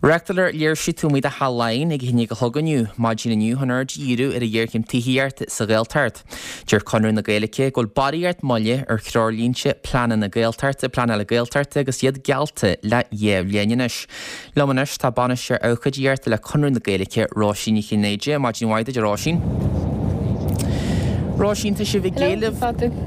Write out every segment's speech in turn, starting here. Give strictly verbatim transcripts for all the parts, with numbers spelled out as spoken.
Reáchtálar léirsiú taobh amuigh de Theach Laighean ag a haon déag a chlog inniu, maidin inniu chun aird a dhíriú ar an ghéarchéim tithíochta sa Ghaeltacht. Deir Conradh na Gaeilge go bhfuil barraíocht moille ar threoirlínte pleananna Gaeltachta, pleanála Gaeltachta agus iad geallta le dhá bhliain anois. Liom anois tá bainisteoir abhcóideachta le Conradh na Gaeilge, Róisín Ní Chinnéide. Maidin mhaith duit, a Róisín. Róisín, tá sibh ag éileamh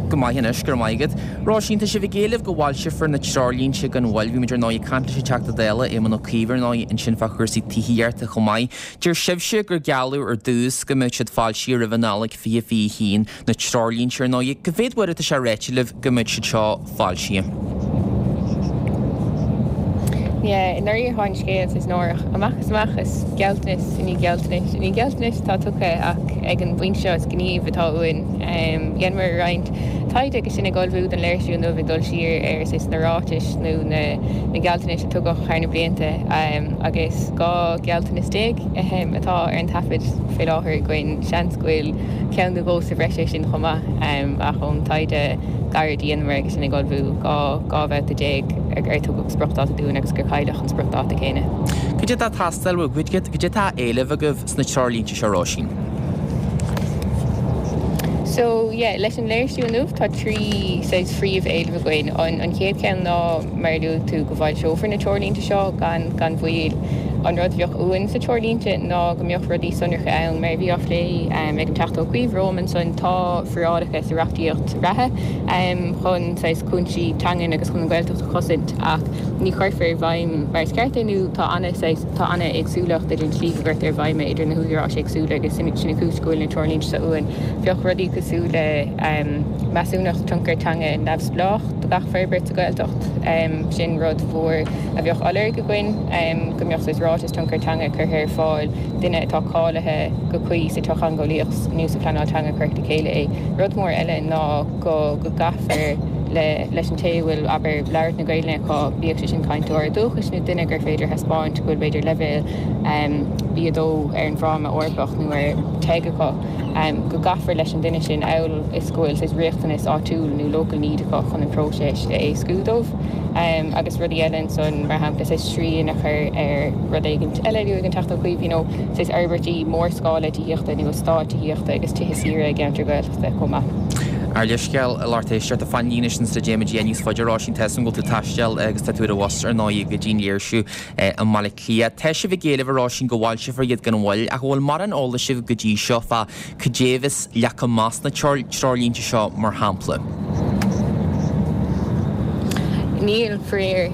go maith anois, go raibh maith agat. Róisín, tá sibh ag éileamh go bhfoilseofar na treoirlínte gan mhoill. Bhí muid ar ndóigh ag caint leis an Teachta Dála, Éamon Ó Cuív ar ndóigh, ansin fá chúrsaí tithíochta chomh maith. Deir sibhse gur gealladh ar dtús go mbeadh siad foilsithe roimh an Nollaig fiche fiche haon, na treoirlínte ar ndóigh. Cá mhéad uair atá sé ráite libh go mbeadh siad seo foilsithe? Yeah, i ndáiríre tá an scéal saghas náireach. Amach is amach is gealltanas i ndiaidh gealltanais i ndiaidh gealltanais atá tugtha ach ag an bpointe seo is gníomh atá uainn. Dheineamar roinnt taighde agus sinn ag ullmhú don léirsiú inniu ag dul siar ar saghas na ráitis nó na na gealltanais a tugadh thar na blianta agus dhá ghealltanas déag atá ar an taifead faoi láthair againn. Seans go bhfuil ceann nó dhó sa bhreis air sin chomh maith ach ón taighde gairid a dheineamar agus sinn ag ullmhú dhá dhá bhabhta déag ar tugadh spriocdháta dúinn agus gur cailleadh an spriocdháta céanna. Cad é atá ag teastáil uaibh? Cad é atá á éileamh agaibh sna treoirlínte seo, Róisín? So, yeah, leis an léirsiú inniu tá trí saghas phríomh-éileamh againn. An an chéad cheann ná, mar a luaigh tú, go bhfoilseofar na treoirlínte seo gan gan mhoill. An rud a bheadh uainn sa treoirlínte ná go mbeadh rudaí sonracha ann, mar a bhí á phlé ag an Teachta Ó Cuív romham ansan, tá forálacha sa reachtaíocht reatha chun saghas cúinsí teangan agus chun an Ghaeltacht a chosaint ach ní chuirfear i bhfeidhm mar is ceart é nó tá ana saghas tá ana éagsúlacht idir an tslí go gcuirtear i bhfeidhm é idir na húdaráis éagsúla agus sin sin an chúis go bhfuil na treoirlínte seo uainn. Bheadh rudaí cosúil le measúnacht tionchar teanga neamhspleách do gach forbairt sa Ghaeltacht, sin rud mhór a bheadh á lorg againn, go mbeadh saghas ráiteas tionchar teanga curtha ar fáil, duine atá cáilithe go cuí sa tsochtheangeolaíocht nó sa phleanáil teanga a chuirfeadh le chéile é. Rud mór eile ná go go gcaithfear le leis an té a bhfuil, abair, labhairt na Gaelainne acu, bíodh sé sin cainteoir dúchais nó duine gur féidir a thaispeáint go bhfuil b'fhéidir leibhéal B a dó ar an bhFráma Eorpach nó ar TEG acu, go gcaithfear leis an duine sin amhail is go bhfuil saghas riachtanas áitiúil nó local need acu chun an próiseas a éascú dóibh. Agus rudaí eile ansan, mar shampla saghas srian a chur ar rud éigint eile a luaigh an Teachta Ó Cuív, you know, saghas fhorbairtí mórscála tithíochta nó eastáit tithíochta agus tithe saoire i gceantair Ghaeltachta chomh maith. Ár leithscéal, a lucht éisteachta, fan linn ansin sula dtéimid níos faide, Róisín, tá a fhios agam go bhfuil tú ag taisteal agus tá tú ar an bhus ar ndóigh go dtí an léirsiú i mBaile Átha Cliath. Tá sibh ag éileamh, a Róisín, go bhfoilseofar iad gan mhoill, ach an bhfuil mórán eolais agaibh go dtí seo fá cad é a bheas leagtha amach sna treoirlínte seo, mar shampla? Níl, faraor.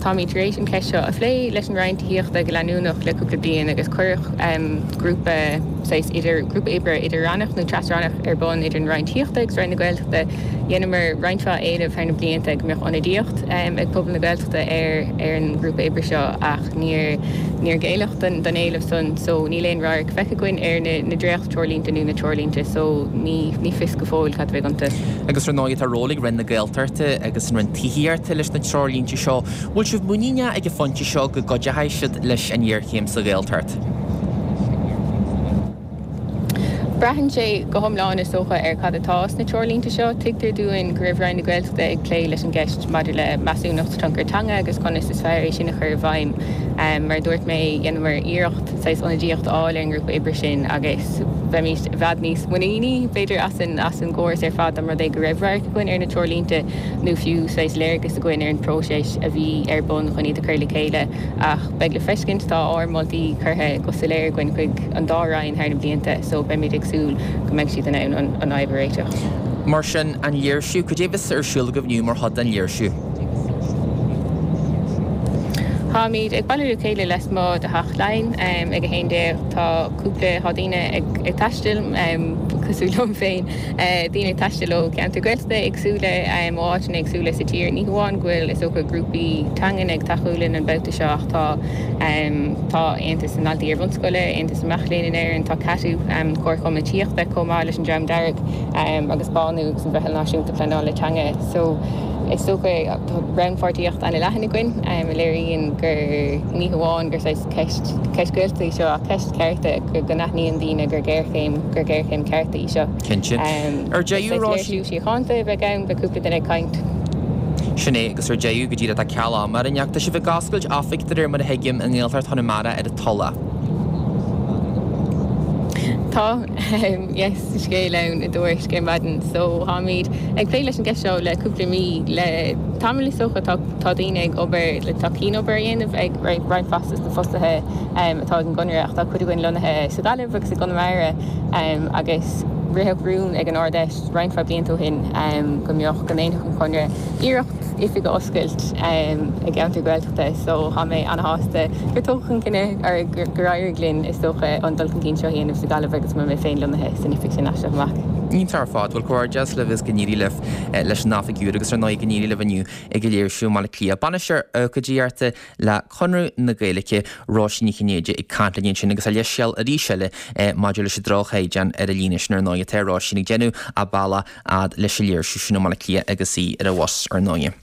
Táimid tar éis an cheist seo a phlé leis an Roinn Tithíochta go leanúnach le cúpla bliain agus cuireadh grúpa saghas idir, grúpa oibre idir-rannach nó tras-rannach ar bun idir an Roinn Tithíochta agus Roinn na Gaeltachta. Dheineamar roinnt mhaith éileamh thar na blianta go mbeadh ionadaíocht ag pobal na Gaeltachta ar ar an ngrúpa oibre seo ach níor níor géilleadh don don éileamh san so níl aon radharc feicthe againn ar na na dréacht-treoirlínte nó na treoirlínte so ní ní fios go fóill cad a bheidh iontu. Agus ar ndóigh tá ról ag Roinn na Gaeltachta agus an Roinn Tithíochta leis na treoirlínte seo. Bhfuil sibh muiníneach ag an phointe seo go gcuideoidh siad leis an ngéarchéim sa Ghaeltacht? Braitheann sé go hiomlán, is dócha, ar cad atá sna treoirlínte seo. Tuigtear dúinn go raibh Roinn na Gaeltachta ag plé leis an gceist maidir le measúnacht tionchar teanga agus conas is fearr é sin a chur i bhfeidhm. Mar a dúirt mé, dheineamar iarracht saghas ionadaíocht a fháil ar an ngrúpa oibre sin agus bheimís i bhfad níos muiníní, b'fhéidir, as an as an gcóras ar fad dá mba rud é go raibh radharc againn ar na treoirlínte nó fiú saghas léargas againn ar an bpróiseas a bhí ar bun chun iad a chur le chéile. Ach beidh le feiscint, tá ár moltaí curtha go soiléir againn chuig an dá Roinn thar na blianta so beimid ag súil go mbeidh siad in ann an fhadhb a réiteach. Mar sin, an léirsiú, cad é a bheas ar siúl agaibh inniu mar chuid den léirsiú? Táimid ag bailiú le chéile lasmuigh de Theach Laighean ag a haon déag. Tá cúpla, tá daoine ag taisteal, cosúil liom féin, daoine ag taisteal ó cheantair Ghaeltachta éagsúla, ó áiteanna éagsúla sa tír. Ní hamháin go bhfuil, is dócha, grúpaí teangan ag tacú linn an babhta seo ach tá tá Aontas na nDaltaí Iar-bhunscoile, Aontas na Mac Léinn in Éirinn, tá CATU, Comharchumann na Tithíochta, chomh maith leis an Dream Dearg agus Bánú agus an Mheitheal Náisiúnta Pleanála Teanga. So, is dócha, tá rannpháirtíocht an-leathan againn a léiríonn gur ní hamháin gur saghas ceist ceist Gaeltachta í seo ach ceist cearta, go n-aithníonn daoine gur géarchéim gur géarchéim cearta í seo. Cinnte. Ar deireadh, Is léirsiú síochánta a bheidh ann, beidh cúpla duine ag caint. Sin é agus ar deireadh go díreach tá ceal ama orainn ach tá sibh ag oscailt oifig de réir mar a thuigim i nGaeltacht Chonamara ar an Tulach. Tá yes scéal ann i dTuairisc ar maidin so táimid ag plé leis an gceist seo le cúpla mí le tamall is dócha tá tá daoine ag obair le tá cianobair a dhéanamh ag roinnt mhaith de na fostaithe atá ag an gConradh ach tá cuid againn lonnaithe sa Ghaillimh agus i gConamara agus ritheadh rún ag an Ard-Fheis roinnt mhaith blianta ó shin go mbeadh go ndéanfadh an Conradh iarracht oifig a oscailt i gceantar Gaeltachta so tá mé an-shásta gur tógadh an cinneadh ar gur éirigh linn is dócha an dul chun cinn seo a dhéanamh sa Ghaillimh agus mar mé féin lonnaithe san oifig sin as seo amach. Iontach ar fad bhuel comhghairdeas libh is go n-éirí libh leis an oifig úr agus ar ndóigh go n-éirí libh inniu ag an léirsiú i mBaile Átha Cliath. Bainisteoir ócáidíochta le Conradh na Gaeilge Róisín Ní Chinnéide ag caint linn ansin agus a leithscéal arís eile maidir leis an droch-chaighdeán ar an líne sin ar ndóigh atá Róisín ag déanamh a bealach fhad leis an léirsiú sin i mBaile Átha Cliath agus í ar an bhus ar ndóigh.